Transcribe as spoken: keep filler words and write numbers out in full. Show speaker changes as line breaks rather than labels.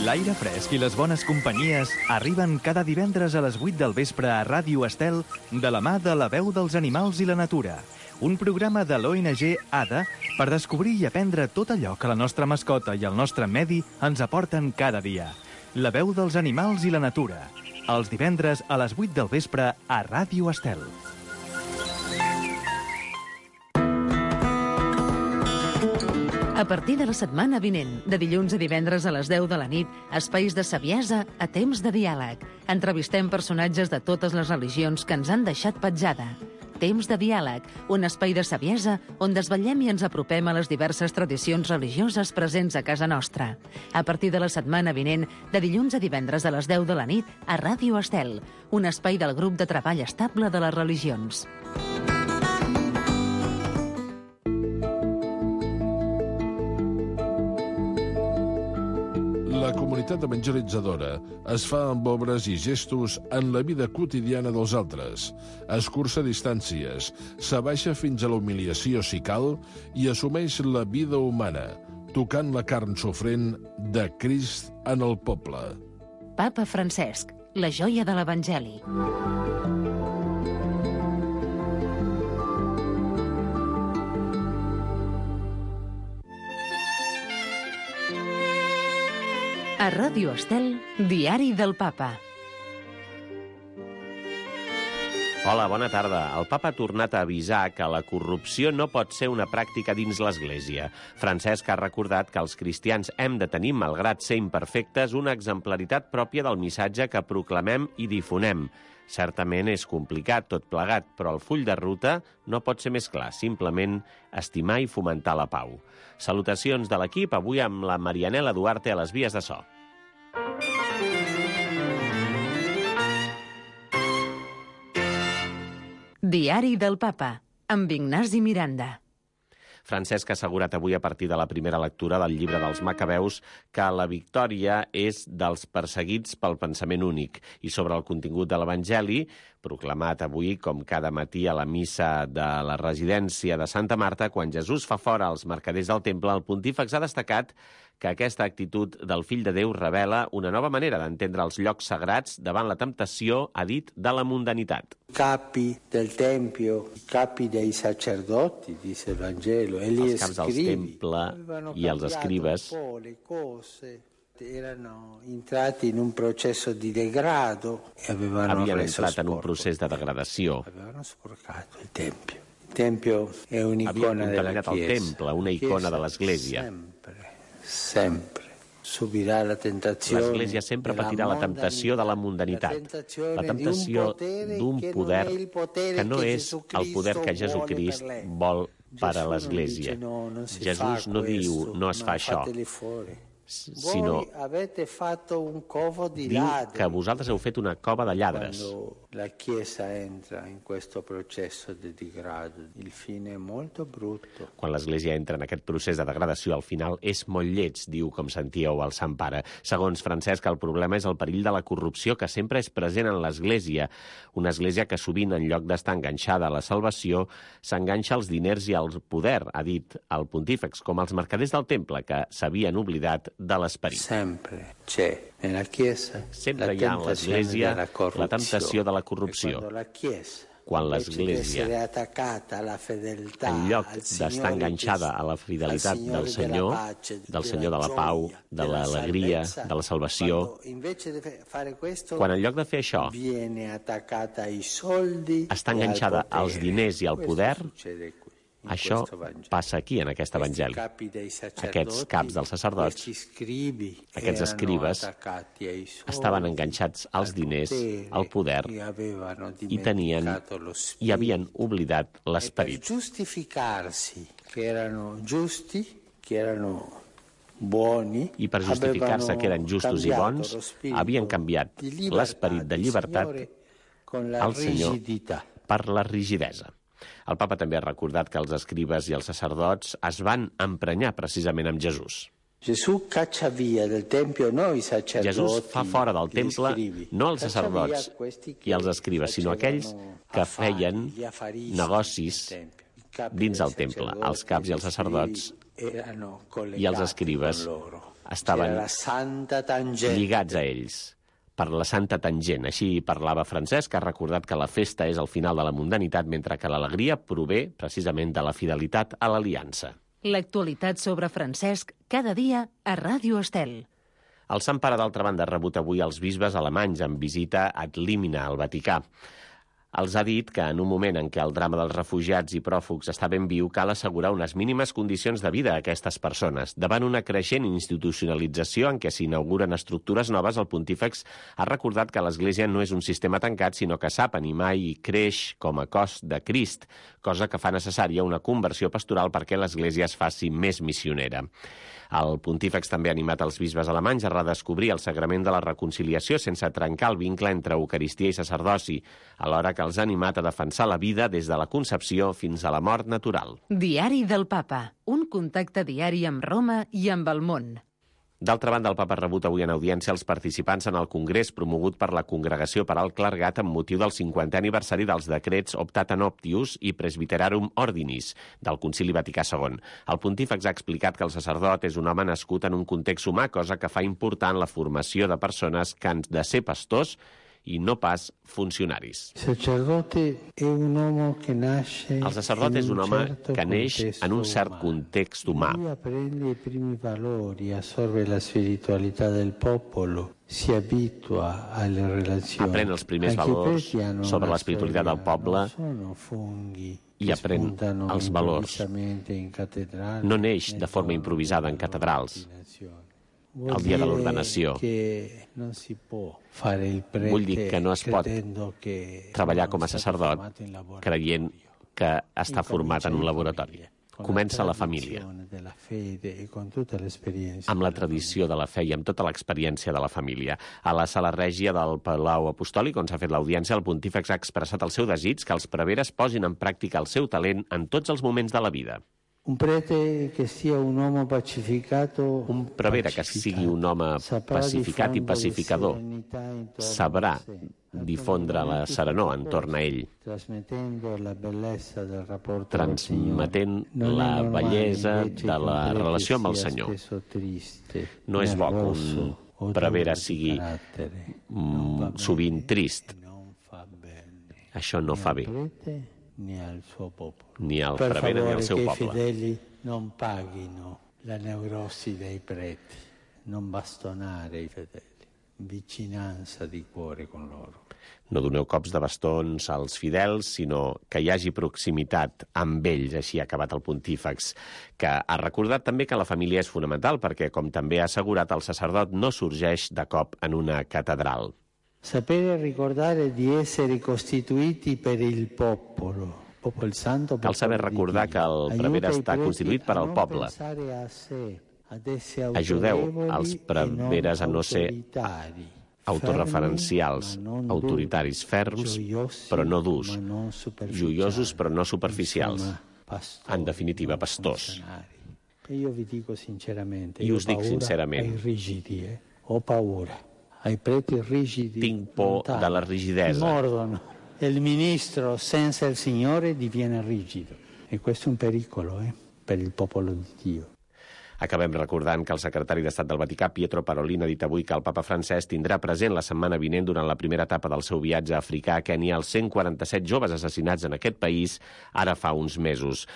L'aire fresc i les bones companyies arriben cada divendres a les vuit del vespre a Ràdio Estel de la mà de La Veu dels Animals i la Natura, un programa de l'O N G ADA per descobrir i aprendre tot allò que la nostra mascota i el nostre medi ens aporten cada dia. La Veu dels Animals i la Natura, els divendres a les vuit del vespre a Ràdio Estel.
A partir de la setmana vinent, de dilluns a divendres a les deu de la nit, espais de saviesa a temps de diàleg. Entrevistem personatges de totes les religions que ens han deixat petjada. Temps de diàleg, un espai de saviesa on desvetllem i ens apropem a les diverses tradicions religioses presents a casa nostra. A partir de la setmana vinent, de dilluns a divendres a les deu de la nit, a Ràdio Estel, un espai del grup de treball estable de les religions.
La comunitat evangelitzadora es fa amb obres i gestos en la vida quotidiana dels altres, escurça distàncies, s'abaixa fins a la humiliació si cal i assumeix la vida humana, tocant la carn sofrent de Crist en el poble.
Papa Francesc, la joia de l'Evangeli. A Ràdio Estel, Diari del Papa.
Hola, bona tarda. El papa ha tornat a avisar que la corrupció no pot ser una pràctica dins l'Església. Francesc ha recordat que els cristians hem de tenir, malgrat ser imperfectes, una exemplaritat pròpia del missatge que proclamem i difonem. Certament és complicat tot plegat, però el full de ruta no pot ser més clar, simplement estimar i fomentar la pau. Salutacions de l'equip, avui amb la Marianela Duarte a les vies de so.
Diari del Papa, amb Ignasi Miranda.
Francesc ha assegurat avui a partir de la primera lectura del llibre dels Macabeus que la victòria és dels perseguits pel pensament únic. I sobre el contingut de l'Evangeli, proclamat avui com cada matí a la missa de la residència de Santa Marta, quan Jesús fa fora els mercaders del temple, el pontífex ha destacat que aquesta actitud del fill de Déu revela una nova manera d'entendre els llocs sagrats davant la temptació, ha dit, de la mundanitat.
Capi del Tempio, capi dei sacerdoti, dice il Vangelo, e gli
els caps del temple i els escribes
erano entrati in un processo di degrado e avevano
havien
reso
entrat en un
sporco.
procés de degradació.
Avevano sporcato il Tempio. Il Tempio è un'icona
havien
della
contaminat
Chiesa.
el temple, una icona de l'Església.
Sempre, sempre subirà la tentazione.
L'Església sempre patirà la temptació de la mundanitat, la temptació d'un poder que no és el poder que Jesucrist vol per a l'Església. Jesús no diu, no es fa això, sinó diu que vosaltres heu fet una cova de lladres.
La Chiesa entra in questo processo di degrado, il fine è molto brutto.
Quan l'Església entra en aquest procés de degradació, al final és molt lleig, diu, com sentíeu al Sant Pare. Segons Francesc, el problema és el perill de la corrupció que sempre és present en l'Església. Una Església que sovint, en lloc d'estar enganxada a la salvació, s'enganxa als diners i al poder, ha dit el pontífex, com els mercaders del temple, que s'havien oblidat de l'esperit.
Sempre c'è nella Chiesa
Sempre hi ha en l'Església la temptació de la corrupció. Quan l'Església, en lloc d'estar enganxada a la fidelitat del Senyor, del Senyor de la pau, de l'alegria, de la salvació, quan en lloc de fer això està enganxada als diners i al poder, això passa aquí, en aquest Evangeli. Aquests caps dels sacerdots, aquests escribes, estaven enganxats als diners, al poder, i tenien i havien oblidat l'esperit. I per justificar-se que eren justos i bons, havien canviat l'esperit de llibertat al Senyor per la rigidesa. El papa també ha recordat que els escribes i els sacerdots es van emprenyar precisament amb Jesús.
Jesús
fa fora del temple no els sacerdots i els escribes, sinó aquells que feien negocis dins el temple, els caps i els sacerdots i els escribes estaven
la Santa Tangente.
lligats a ells per la Santa Tangent. Així parlava Francesc, que ha recordat que la festa és el final de la mundanitat, mentre que l'alegria prové precisament de la fidelitat a l'aliança.
L'actualitat sobre Francesc cada dia a Ràdio Estel.
El Sant Pare, d'altra banda, ha rebut avui els bisbes alemanys en visita ad limina al Vaticà. Els ha dit que en un moment en què el drama dels refugiats i pròfugs està ben viu, cal assegurar unes mínimes condicions de vida a aquestes persones. Davant una creixent institucionalització en què s'inauguren estructures noves, el pontífex ha recordat que l'Església no és un sistema tancat, sinó que sap animar i creix com a cos de Crist, cosa que fa necessària una conversió pastoral perquè l'Església es faci més missionera. El pontífex també ha animat els bisbes alemanys a redescobrir el sagrament de la reconciliació sense trencar el vincle entre Eucaristia i sacerdoci, alhora que els ha animat a defensar la vida des de la concepció fins a la mort natural.
Diari del Papa, un contacte diari amb Roma i amb el món.
D'altra banda, el papa ha rebut avui en audiència els participants en el congrés promogut per la Congregació per al Clergat amb motiu del cinquantè aniversari dels decrets Optata Noctius i Presbyterarum Ordinis del Concili Vaticà segon. El pontífex ha explicat que el sacerdot és un home nascut en un context humà, cosa que fa important la formació de persones que han de ser pastors i no pas funcionaris.
El sacerdot és un home que neix
El sacerdot és un home que neix en un cert context humà.
Aprende i primi valori, assorbe la spiritualità del popolo, si abitua alle relazioni.
Aprèn els primers valors sobre l'espiritualitat del poble i aprèn els valors. No neix de forma improvisada en catedrals. El dia de l'ordenació. Vull dir que no es pot treballar com a sacerdot creient que està format en un laboratori. Comença a la família, amb la tradició de la fe i amb tota l'experiència de la família. A la sala règia del Palau Apostòlic, on s'ha fet l'audiència, el pontífex ha expressat el seu desig que els preveres posin en pràctica el seu talent en tots els moments de la vida.
Un prete que sia un home pacificato,
un prevere que sigui un home pacificat i pacificador sabrà difondre la serenor entorn a ell, transmetent la bellesa de la relació amb el Senyor. No és bo que un prevere sigui mm, sovint trist. Això no fa bé. Ni al suo popolo. Ni al prevere ni al seu poble.
Per favore, che i fedeli non paghino la neurosi dei preti, non bastonare i fedeli, vicinanza di cuore con loro.
No doneu cops de bastons als fidels, sinó que hi hagi proximitat amb ells, així ha acabat el pontífex, que ha recordat també que la família és fonamental perquè, com també ha assegurat, el sacerdot no sorgeix de cop en una catedral.
Sapere ricordare di essere costituiti per il popolo.
Cal saber recordar que el prevere està constituït per al poble. Ajudeu els preveres a no ser autoreferencials, autoritaris, ferms, però no durs, joiosos, però no superficials. En definitiva, pastors. I us dic sincerament,
ho paura. Ai preti rigidi.
Tinc por de la rigidesa.
Mordono. Il ministro senza il Signore diviene rigido. E questo è un pericolo eh, per il popolo di Dio.
Acabem recordant que el secretari d'Estat del Vaticà, Pietro Parolin, ha dit avui que el papa Francesc tindrà present la setmana vinent durant la primera etapa del seu viatge africà a Kènia els cent quaranta-set joves assassinats en aquest país ara fa uns mesos.